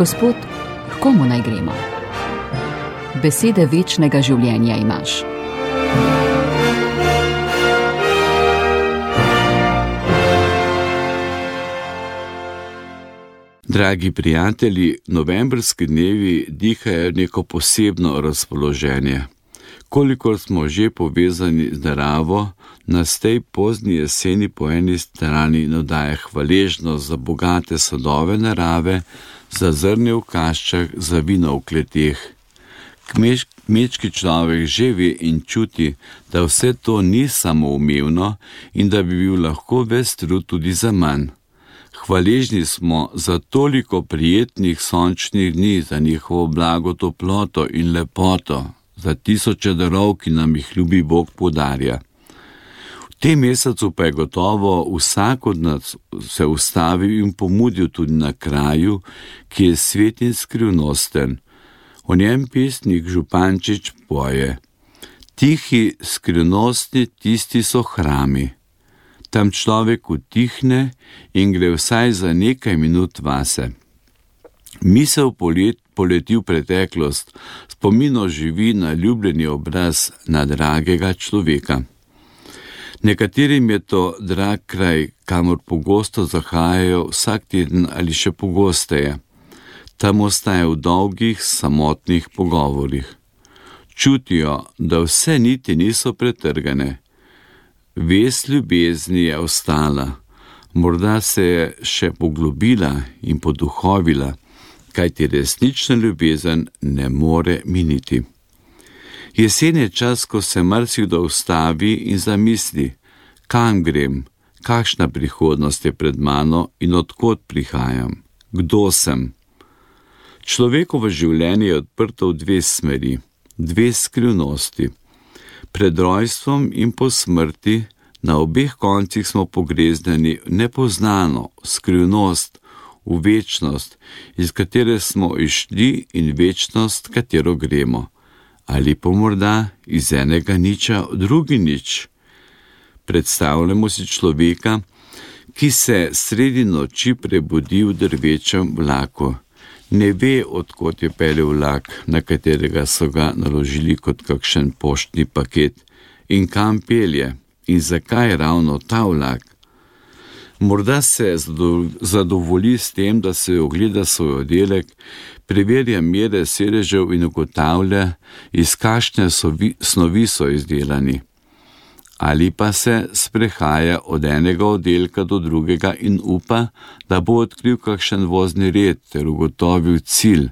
Gospod, k komu naj gremo? Besede večnega življenja imaš. Dragi prijatelji, novembrski dnevi dihajo neko posebno razpoloženje. Kolikor smo že povezani z naravo, nas tej pozni jeseni po eni strani navdaja hvaležnost za bogate sadove narave, za zrnje v kaščah, za vino v kleteh. Kmečki človek že ve in čuti, da vse to ni samoumevno in da bi bil lahko ves trud tudi za manj. Hvaležni smo za toliko prijetnih sončnih dni, za njihovo blago toploto in lepoto, za tisoče darov, ki nam jih ljubi Bog podarja. V tem mesecu pa je gotovo vsak od nas se ustavil in pomudil tudi na kraju, ki je svet in skrivnosten. O njem pesnik Župančič poje: tihi, skrivnostni, tisti so hrami. Tam človek utihne in gre vsaj za nekaj minut vase. Misel poleti v preteklost, spomino živi na ljubljeni obraz na dragega človeka. Nekaterim je to drag kraj, kamor pogosto zahajajo vsak teden ali še pogosteje. Tam ostaje v dolgih, samotnih pogovorih. Čutijo, da vse niti niso pretrgane. Vez ljubezni je ostala, morda se je še poglobila in poduhovila, kajti resnična ljubezen ne more miniti. Jesen je čas, ko se marsikdo ustavi in zamisli, kam grem, kakšna prihodnost je pred mano in odkot prihajam, kdo sem. Človekovo življenje je odprto v dve smeri, dve skrivnosti. Pred rojstvom in po smrti, na obeh koncih smo pogrezneni v nepoznano skrivnost, v večnost, iz katere smo išli in večnost, katero gremo. Ali pa morda iz enega niča v drugi nič. Predstavljamo si človeka, ki se sredi noči prebudi v drvečem vlaku. Ne ve, odkot je peljal vlak, na katerega so ga naložili kot kakšen poštni paket, in kam pelje, in zakaj ravno ta vlak. Morda se zadovolji s tem, da se ogleda svoj oddelek, preverja mere sedežev in ugotavlja, iz kakšne snovi so izdelani. Ali pa se sprehaja od enega oddelka do drugega in upa, da bo odkril kakšen vozni red ter ugotovil cilj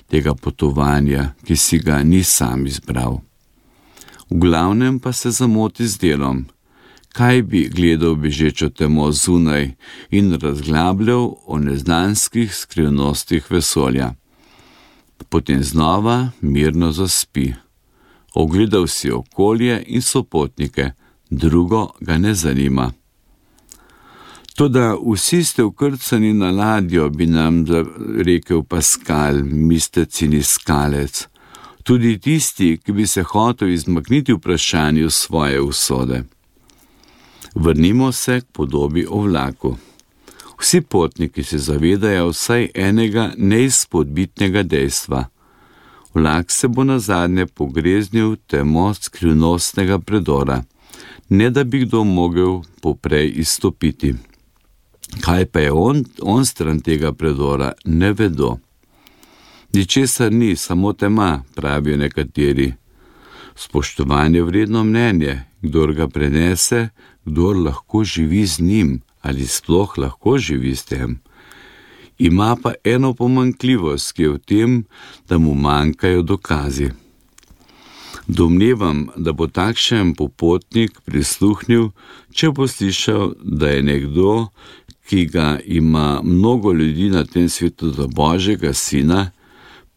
tega potovanja, ki si ga ni sam izbral. V glavnem pa se zamoti z delom. Kaj bi gledal bežečo temo zunaj in razglabljal o neznanskih skrivnostih vesolja. Potem znova mirno zaspi. Ogledal si okolje in sopotnike, drugo ga ne zanima. Toda vsi ste vkrcani na ladjo, bi nam rekel Pascal, mistec in iskalec. Tudi tisti, ki bi se hotel izmakniti vprašanju svoje usode. Vrnimo se k podobi o vlaku. Vsi potniki se zavedajo vsaj enega neizpodbitnega dejstva. Vlak se bo nazadnje pogreznil v temo skrivnostnega predora, ne da bi kdo mogel poprej izstopiti. Kaj pa je on stran tega predora, ne vedo. Ničesar ni, samo tema, pravijo nekateri. Spoštovanje vredno mnenje, kdor ga prenese, kdor lahko živi z njim ali sploh lahko živi s tem. Ima pa eno pomanjkljivost, ki je v tem, da mu manjkajo dokazi. Domnevam, da bo takšen popotnik prisluhnil, če bo slišal, da je nekdo, ki ga ima mnogo ljudi na tem svetu za Božjega sina,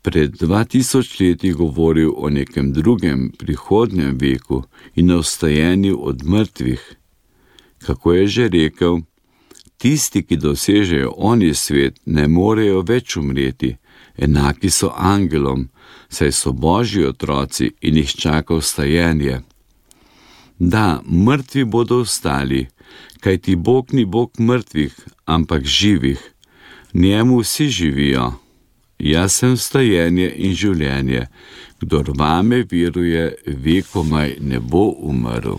pred 2000 leti govoril o nekem drugem, prihodnjem veku in o vstajenju od mrtvih. Kako je že rekel, tisti, ki dosežejo oni svet, ne morejo več umreti, enaki so angelom, saj so Božji otroci in jih čaka vstajenje. Da, mrtvi bodo vstali, kajti Bog ni Bog mrtvih, ampak živih. Njemu vsi živijo. Jaz sem vstajenje in življenje. Kdor vame veruje, vekomaj ne bo umrl.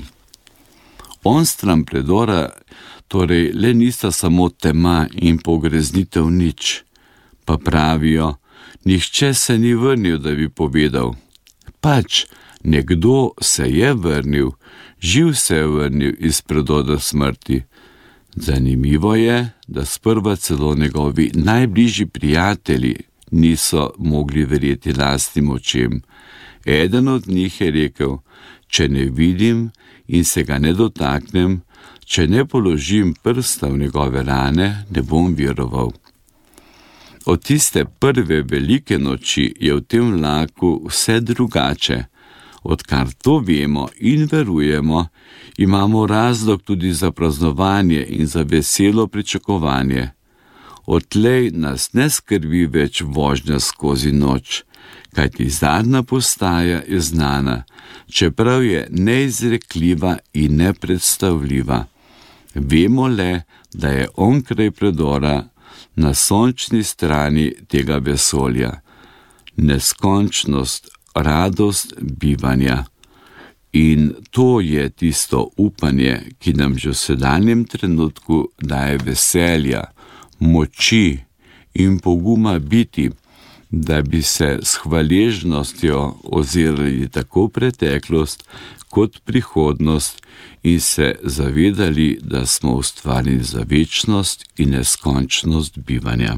Onstran predora torej le nista samo tema in pogreznitev nič, pa pravijo, nihče se ni vrnil, da bi povedal. Pač, nekdo se je vrnil, živ se je vrnil iz predoda smrti. Zanimivo je, da sprva celo njegovi najbližji prijatelji niso mogli verjeti lastnim očem. Eden od njih je rekel, če ne vidim in se ga ne dotaknem, če ne položim prsta v njegove rane, ne bom veroval. Od tiste prve velike noči je v tem vlaku vse drugače. Odkar to vemo in verujemo, imamo razlog tudi za praznovanje in za veselo pričakovanje. Odtlej nas ne skrbi več vožnja skozi noč, kajti zadnja postaja je znana, čeprav je neizrekljiva in nepredstavljiva. Vemo le, da je onkraj predora na sončni strani tega vesolja. Neskončnost, radost bivanja. In to je tisto upanje, ki nam že v sedanjem trenutku daje veselja, moči in poguma biti, da bi se s hvaležnostjo ozirali tako preteklost kot prihodnost in se zavedali, da smo ustvarjeni za večnost in neskončnost bivanja.